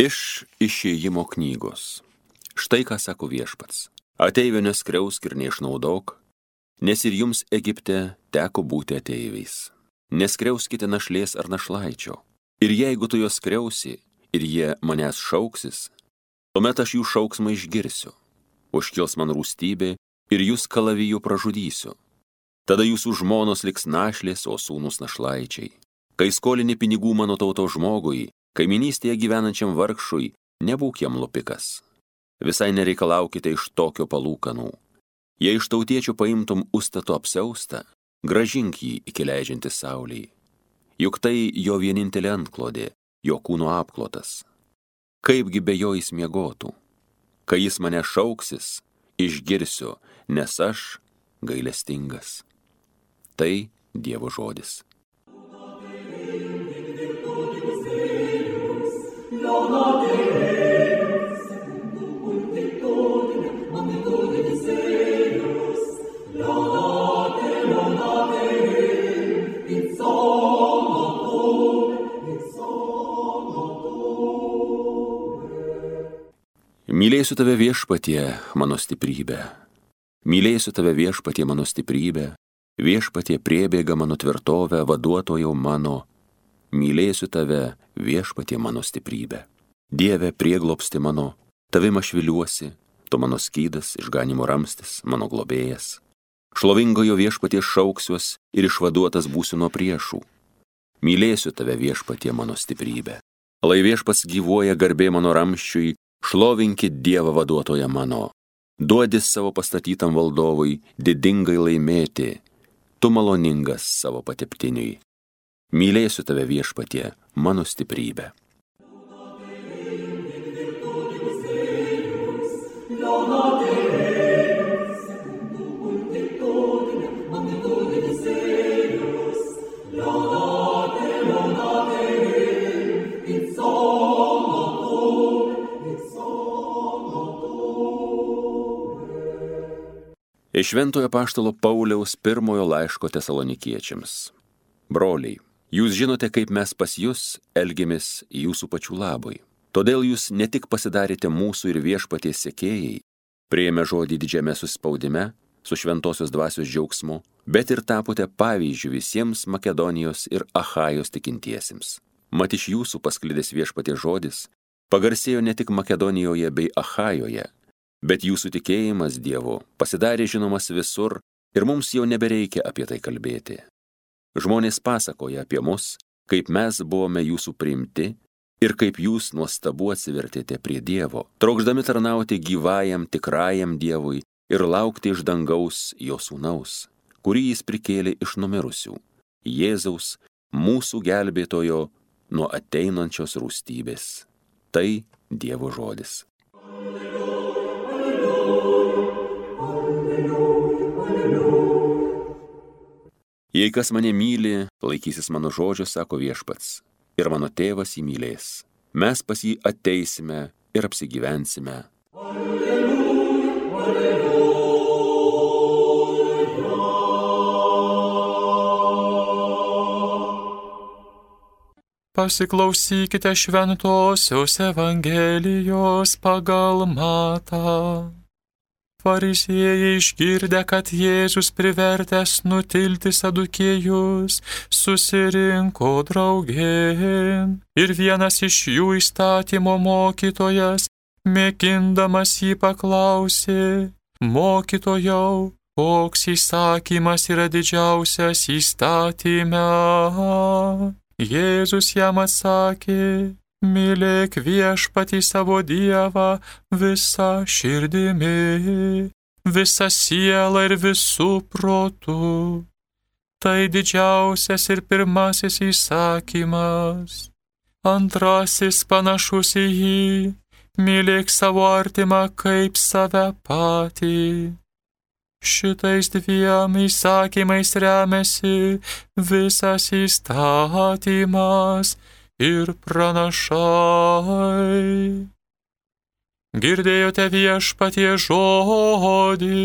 Iš Išėjimo knygos. Štai ką sako Viešpats. Ateivio neskriausk ir neišnaudok, nes ir jums Egipte teko būti ateiviais. Neskriauskite našlės ar našlaičio. Ir jeigu tu juos skriausi ir jie manęs šauksis, tuomet aš jų šauksmą išgirsiu. Užkils man rūstybė ir jūs kalaviju pražudysiu. Tada jūsų žmonos liks našlės, o sūnus našlaičiai. Kai skolini pinigų mano tautos žmogui, kaiminystėje gyvenančiam vargšui, nebūk jam lupikas. Visai nereikalaukite iš tokio palūkanų. Jei iš tautiečių paimtum ustato apsiaustą, grąžink jį iki leidžiantis saulei. Juk tai jo vienintelė antklodė, jo kūno apklotas. Kaipgi be jo jis miegotų? Kai jis mane šauksis, išgirsiu, nes aš gailestingas. Tai Dievo žodis. Mylėsiu tave Viešpatie, mano stiprybė. Mylėsiu tave Viešpatie, mano stiprybė. Viešpatie priebėga mano tvirtovę, vaduotojau mano. Mylėsiu tave Viešpatie, mano stiprybė. Dieve, prieglobsti mano, tavim aš viliuosi, tu mano skydas, išganimo ramstis, mano globėjas. Šlovingojo Viešpatie šauksiuos ir išvaduotas būsiu nuo priešų. Mylėsiu tave Viešpatie, mano stiprybė. Lai Viešpats gyvuoja, garbė mano ramsčiui, šlovinkit Dievą vaduotoją mano. Duodi savo pastatytam valdovui didingai laimėti, tu maloningas savo pateptiniui. Mylėsiu tave Viešpatie, mano stiprybė. Iš Šventojo apaštalo Pauliaus pirmojo laiško Tesalonikiečiams. Broliai, jūs žinote, kaip mes pas jus elgiamės jūsų pačių labui. Todėl jūs ne tik pasidarėte mūsų ir Viešpaties sekėjai, priėmę žodį didžiame suspaudime, su šventosios dvasios džiaugsmu, bet ir tapote pavyzdžiu visiems Makedonijos ir Achajos tikintiesiems. Mat iš jūsų pasklidęs Viešpaties žodis pagarsėjo ne tik Makedonijoje bei Achajoje, bet jūsų tikėjimas Dievu pasidarė žinomas visur ir mums jau nebereikia apie tai kalbėti. Žmonės pasakoja apie mus, kaip mes buvome jūsų priimti ir kaip jūs nuostabu atsivertėte prie Dievo, trokšdami tarnauti gyvajam tikrajam Dievui ir laukti iš dangaus jo sūnaus, kurį jis prikėlė iš numirusių, Jėzaus, mūsų gelbėtojo nuo ateinančios rūstybės. Tai Dievo žodis. Jei kas mane myli, laikysis mano žodžio, sako Viešpats, ir mano tėvas jį mylės. Mes pas jį ateisime ir apsigyvensime. Pasiklausykite šventosios Evangelijos pagal Matą. Fariziejai išgirdę, kad Jėzus privertęs nutilti sadukėjus, susirinko draugėn. Ir vienas iš jų įstatymo mokytojas, mėgindamas jį paklausė: Mokytojau, koks įsakymas yra didžiausias įstatyme? Jėzus jam atsakė: Mylėk Viešpatį savo Dievą visa širdimi, visa siela ir visų protų. Tai didžiausias ir pirmasis įsakymas. Antrasis panašus į jį: mylėk savo artimą kaip save patį. Šitais dviem įsakymais remiasi visas įstatymas ir pranašai. Girdėjote Viešpaties žodį.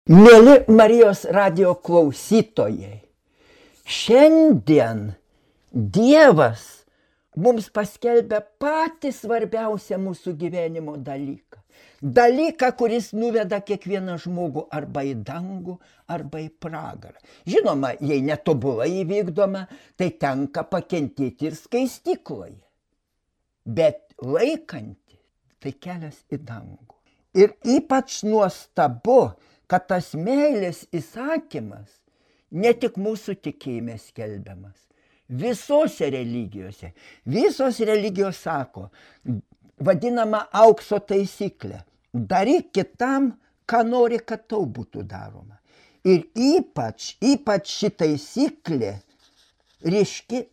Mieli Marijos radijo klausytojai, šiandien Dievas mums paskelbia patį svarbiausią mūsų gyvenimo dalyką. Dalyką, kuris nuveda kiekvieną žmogų arba į dangų, arba į pragarą. Žinoma, jei netobulai įvykdoma, tai tenka pakentėti ir skaistykloje. Bet laikanti, tai kelias į dangų. Ir ypač nuostabu, kad tas meilės įsakymas ne tik mūsų tikėjime skelbiamas. Visose religijose. Visos religijos sako, vadinama aukso taisyklė. Daryk kitam, ką nori, kad tau būtų daroma. Ir ypač ši taisyklė ryški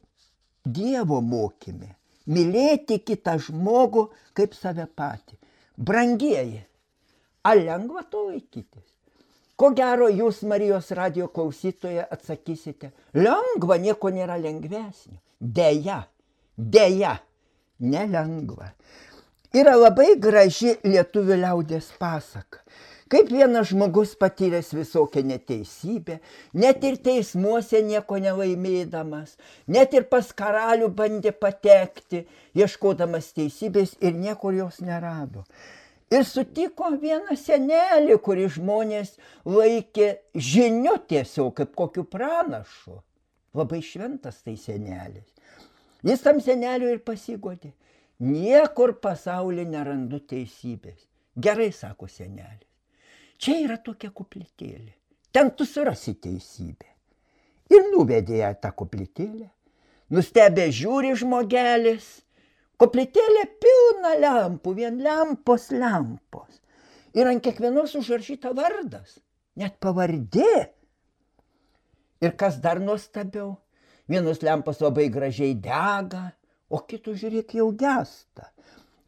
Dievo mokyme. Mylėti kitą žmogų kaip save patį. Brangieji, ar lengva to laikytis? Ko gero, jūs Marijos radijo klausytoje atsakysite, lengva, nieko nėra lengvesnio. Deja, nelengva. Yra labai graži lietuvių liaudies pasaka. Kaip vienas žmogus patyręs visokią neteisybę, net ir teismuose nieko nelaimėdamas, net ir pas karalių bandė patekti, ieškodamas teisybės ir niekur jos nerado. Ir sutiko vieną senelį, kurį žmonės laikė žiniu tiesiog, kaip kokiu pranašu. Labai šventas tai senelis. Jis tam seneliui ir pasigodė. Niekur pasaulyje nerandu teisybės. Gerai, sako senelis. Čia yra tokia koplytėlė. Ten tu surasi teisybę. Ir nuvedė ją tą koplytėlę. Nustebę žiūri žmogelis. Koplytėlė pilna lempų, vien lempos. Ir ant kiekvienos užrašyta vardas, net pavardė. Ir kas dar nuostabiau, vienos lempos labai gražiai dega, o kitų, žiūrėk, jau gesta.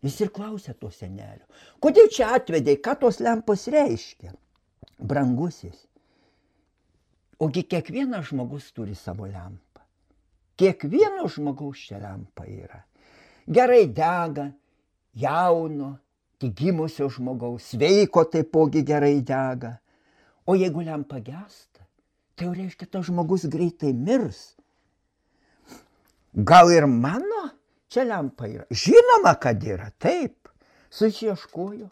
Jis ir klausė to senelio, kodėl čia atvedei, ką tos lempos reiškia? Brangusis, ogi kiekvienas žmogus turi savo lempą. Kiekvieno žmogaus čia lempa yra. Gerai dega, jauno, tik gimusio žmogaus, sveiko taipogi gerai dega. O jeigu lempa gesta, tai jau reiškia, tas žmogus greitai mirs. Gal ir mano čia lempa yra? Žinoma, kad yra, taip. Susieškojo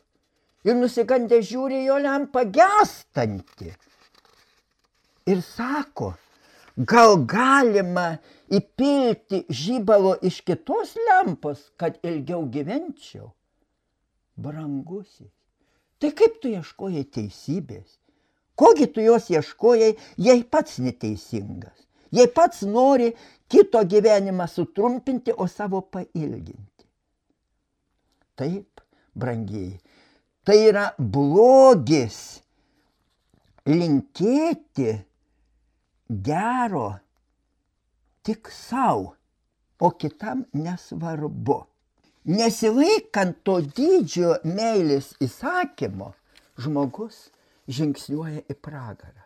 ir nusigandę žiūri jo lempą gestanti. Ir sako, gal galima įpilti žibalo iš kitos lempos, kad ilgiau gyvenčiau? Brangusis, tai kaip tu ieškojai teisybės? Kogi tu jos ieškojai, jei pats neteisingas? Jei pats nori kito gyvenimą sutrumpinti, o savo pailginti? Taip, brangieji, tai yra blogis linkėti gero tik savo, o kitam nesvarbu. Nesilaikant to didžio meilės įsakymo, žmogus žingsniuoja į pragarą.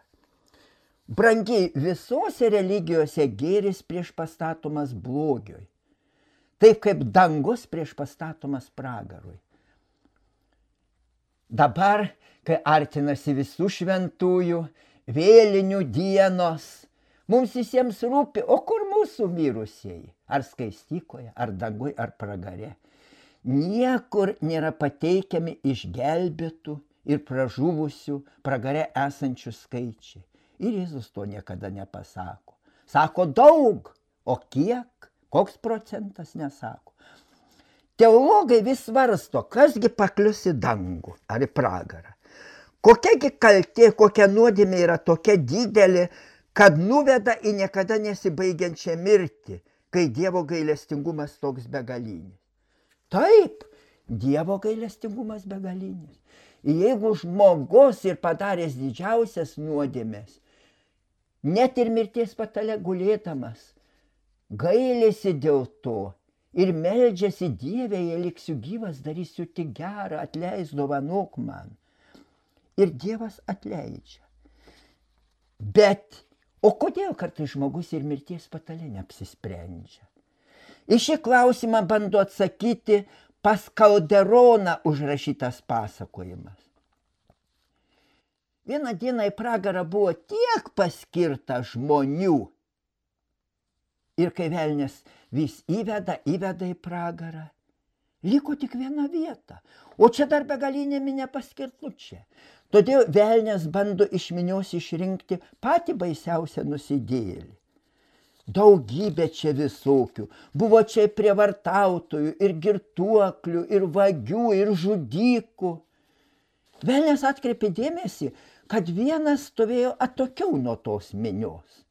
Brangiai, visose religijose gėris prieš pastatomas blogiui. Taip kaip dangus prieš pastatomas pragarui. Dabar, kai artinasi visų šventųjų, vėlinių dienos, mums visiems rūpi, o kur mūsų mirusieji? Ar skaistykoje, ar dangui, ar pragare? Niekur nėra pateikiami išgelbėtų ir pražuvusių pragare esančių skaičiai. Ir Jėzus to niekada nepasako. Sako daug, o kiek? Koks procentas nesako. Teologai vis svarsto, kasgi paklius į dangų ar į pragarą. Kokiagi kaltė, kokia nuodėmė yra tokia didelė, kad nuveda į niekada nesibaigiančią mirtį, kai Dievo gailestingumas toks begalinis. Taip, Dievo gailestingumas begalinis. Jeigu žmogus ir padaręs didžiausias nuodėmes, net ir mirties patale gulėdamas, gailėsi dėl to ir meldžiasi Dieve, jei liksiu gyvas, darysiu tik gerą, atleis, dovanok man. Ir Dievas atleidžia. Bet, o kodėl kartais žmogus ir mirties patale neapsisprendžia? Į šį klausimą bando atsakyti pas Kalderoną užrašytas pasakojimas. Vieną dieną į pragarą buvo tiek paskirta žmonių. Ir kai velnias vis įveda į pragarą, liko tik viena vieta. O čia dar begalinė minė paskirtučią. Todėl velnias bando iš minios išrinkti patį baisiausią nusidėjėlį. Daugybė čia visokių. Buvo čia prievartautojų, ir girtuoklių, ir vagių, ir žudykų. Velnias atkreipė dėmesį, kad vienas stovėjo atokiau nuo tos minios.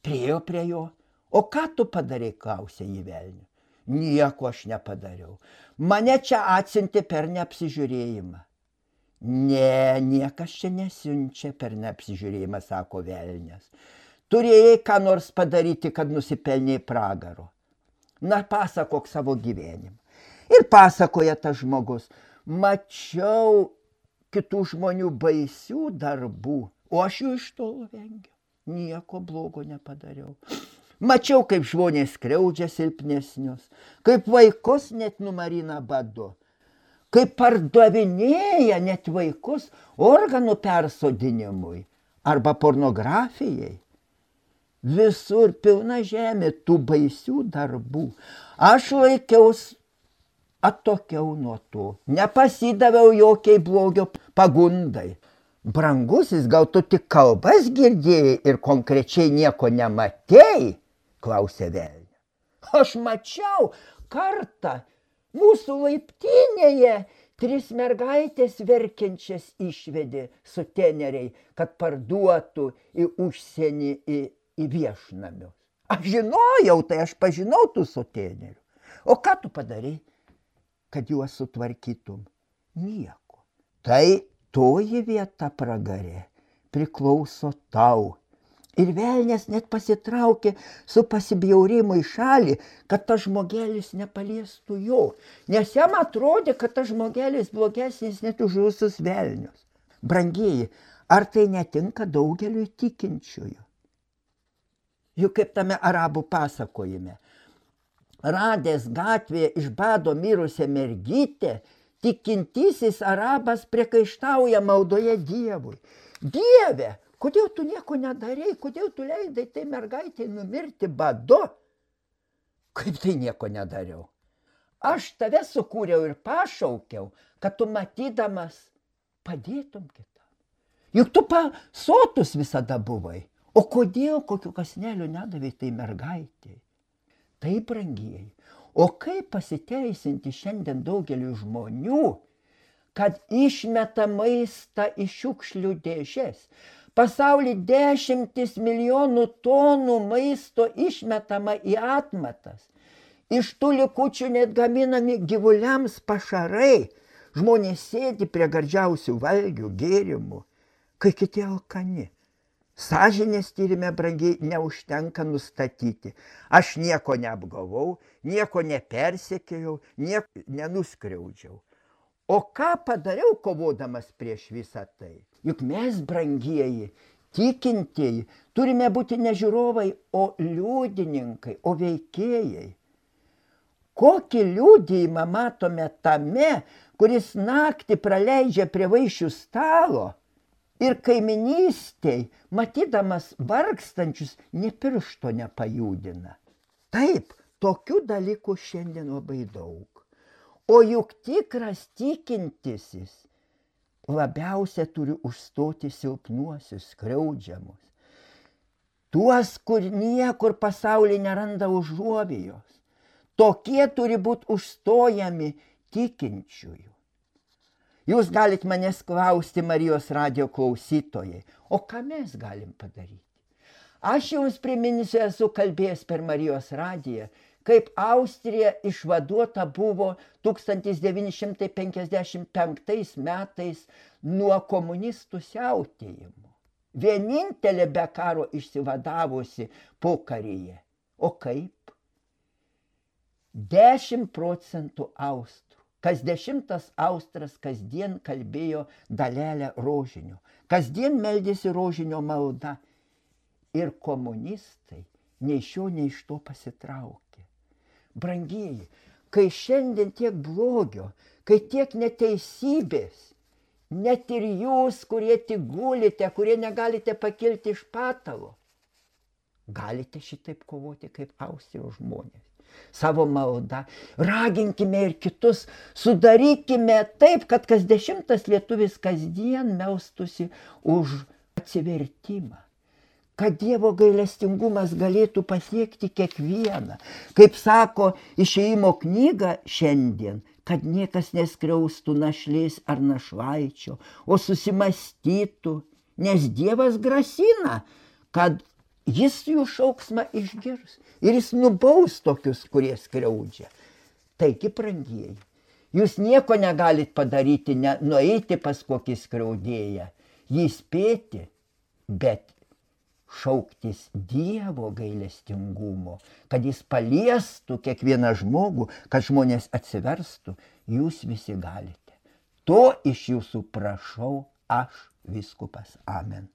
Priėjo prie jo. O ką tu padarei, klausė jį velnių. Nieko aš nepadariau. Mane čia atsiuntė per neapsižiūrėjimą. Ne, niekas čia nesiunčia per neapsižiūrėjimą, sako velnias. Turėjai ką nors padaryti, kad nusipelnei pragaro. Na, pasakok savo gyvenimą. Ir pasakoja tas žmogus. Mačiau kitų žmonių baisių darbų, o aš jų iš tolo vengiau. Nieko blogo nepadariau. Mačiau, kaip žmonės skriaudžia silpnesnius, kaip vaikus net numarina badu, kaip pardavinėja net vaikus organų persodinimui arba pornografijai. Visur pilna žemė tų baisių darbų. Aš laikiaus atokiau nuo to, nepasidaviau jokiai blogio pagundai. Brangusis, gal tu tik kalbas girdėjai ir konkrečiai nieko nematėjai? Klausė velnio. Aš mačiau kartą mūsų laiptinėje 3 mergaitės verkiančias išvedė suteneriai, kad parduotų į užsienį į viešnamius. Aš žinojau, tai aš pažinau tų sutenerių. O ką tu padarai, kad juos sutvarkytum? Nieko. Tai toji vieta pragare priklauso tau. Ir velnias net pasitraukė su pasibjaurimu į šalį, kad tas žmogelis nepaliestų jo. Nes jam atrodė, kad tas žmogelis blogesnis net už visus velnius. Brangieji, ar tai netinka daugeliui tikinčiųjų? Juk kaip tame arabų pasakojime. Radęs gatvėje iš bado mirusią mergytę, tikintysis arabas priekaištauja maldoje Dievui. Dieve, kodėl tu nieko nedarei, kodėl tu leidai tai mergaitei numirti badu? Kaip tai nieko nedariau? Aš tave sukūriau ir pašaukiau, kad tu matydamas padėtum kitam. Juk tu sotus visada buvai. O kodėl kokiu kasneliu nedavai tai mergaitei? Taip, brangieji. O kaip pasiteisinti šiandien daugeliu žmonių, kad išmeta maistą į šiukšlių dėžes? Pasauly 10 milijonų tonų maisto išmetama į atmatas. Iš tų likučių net gaminami gyvuliams pašarai. Žmonės sėdi prie gardžiausių valgių, gėrimų, kai kiti alkani. Sąžinės tyrime, brangiai, neužtenka nustatyti. Aš nieko neapgavau, nieko nepersekėjau, nieko nenuskriaudžiau. O ką padariau kovodamas prieš visą tai? Juk mes, brangieji, tikintieji, turime būti ne žiūrovai, o liudininkai, o veikėjai. Kokį liudijimą matome tame, kuris naktį praleidžia prie vaišių stalo ir kaiminystėj, matydamas vargstančius, nė piršto nepajudina. Taip, tokių dalykų šiandien labai daug. O juk tikras tikintysis labiausia turi užstoti silpnuosius, skriaudžiamus. Tuos, kur niekur pasaulyje neranda užuovėjos. Tokie turi būti užstojami tikinčiųjų. Jūs galit manęs klausti, Marijos radijo klausytojai, o ką mes galim padaryti? Aš jums priminsiu, esu kalbėjęs per Marijos radiją, kaip Austrija išvaduota buvo 1955 metais nuo komunistų siautėjimo. Vienintelė be karo išsivadavusi pokaryje. O kaip? 10% austrų. Kas 10 austras kasdien kalbėjo dalelę rožinio. Kasdien meldėsi rožinio malda. Ir komunistai nei šio, nei iš to pasitraukė. Brangieji, kai šiandien tiek blogio, kai tiek neteisybės, net ir jūs, kurie tik gulite, kurie negalite pakilti iš patalo, galite šitaip kovoti kaip Austrijos žmonės. Savo maldą raginkime ir kitus, sudarykime taip, kad kas 10 lietuvis kasdien melstųsi už atsivertimą, kad Dievo gailestingumas galėtų pasiekti kiekvieną. Kaip sako Išėjimo knyga šiandien, kad niekas neskriaustų našlės ar našlaičio, o susimastytų, nes Dievas grasina, kad jis jų šauksmą išgirs ir jis nubaus tokius, kurie skriaudžia. Taigi, brangieji, jūs nieko negalit padaryti, nueiti pas kokį skriaudėją, jį spėti, bet šauktis Dievo gailestingumo, kad jis paliestų kiekvieną žmogų, kad žmonės atsiverstų, jūs visi galite. To iš jūsų prašau aš, vyskupas. Amen.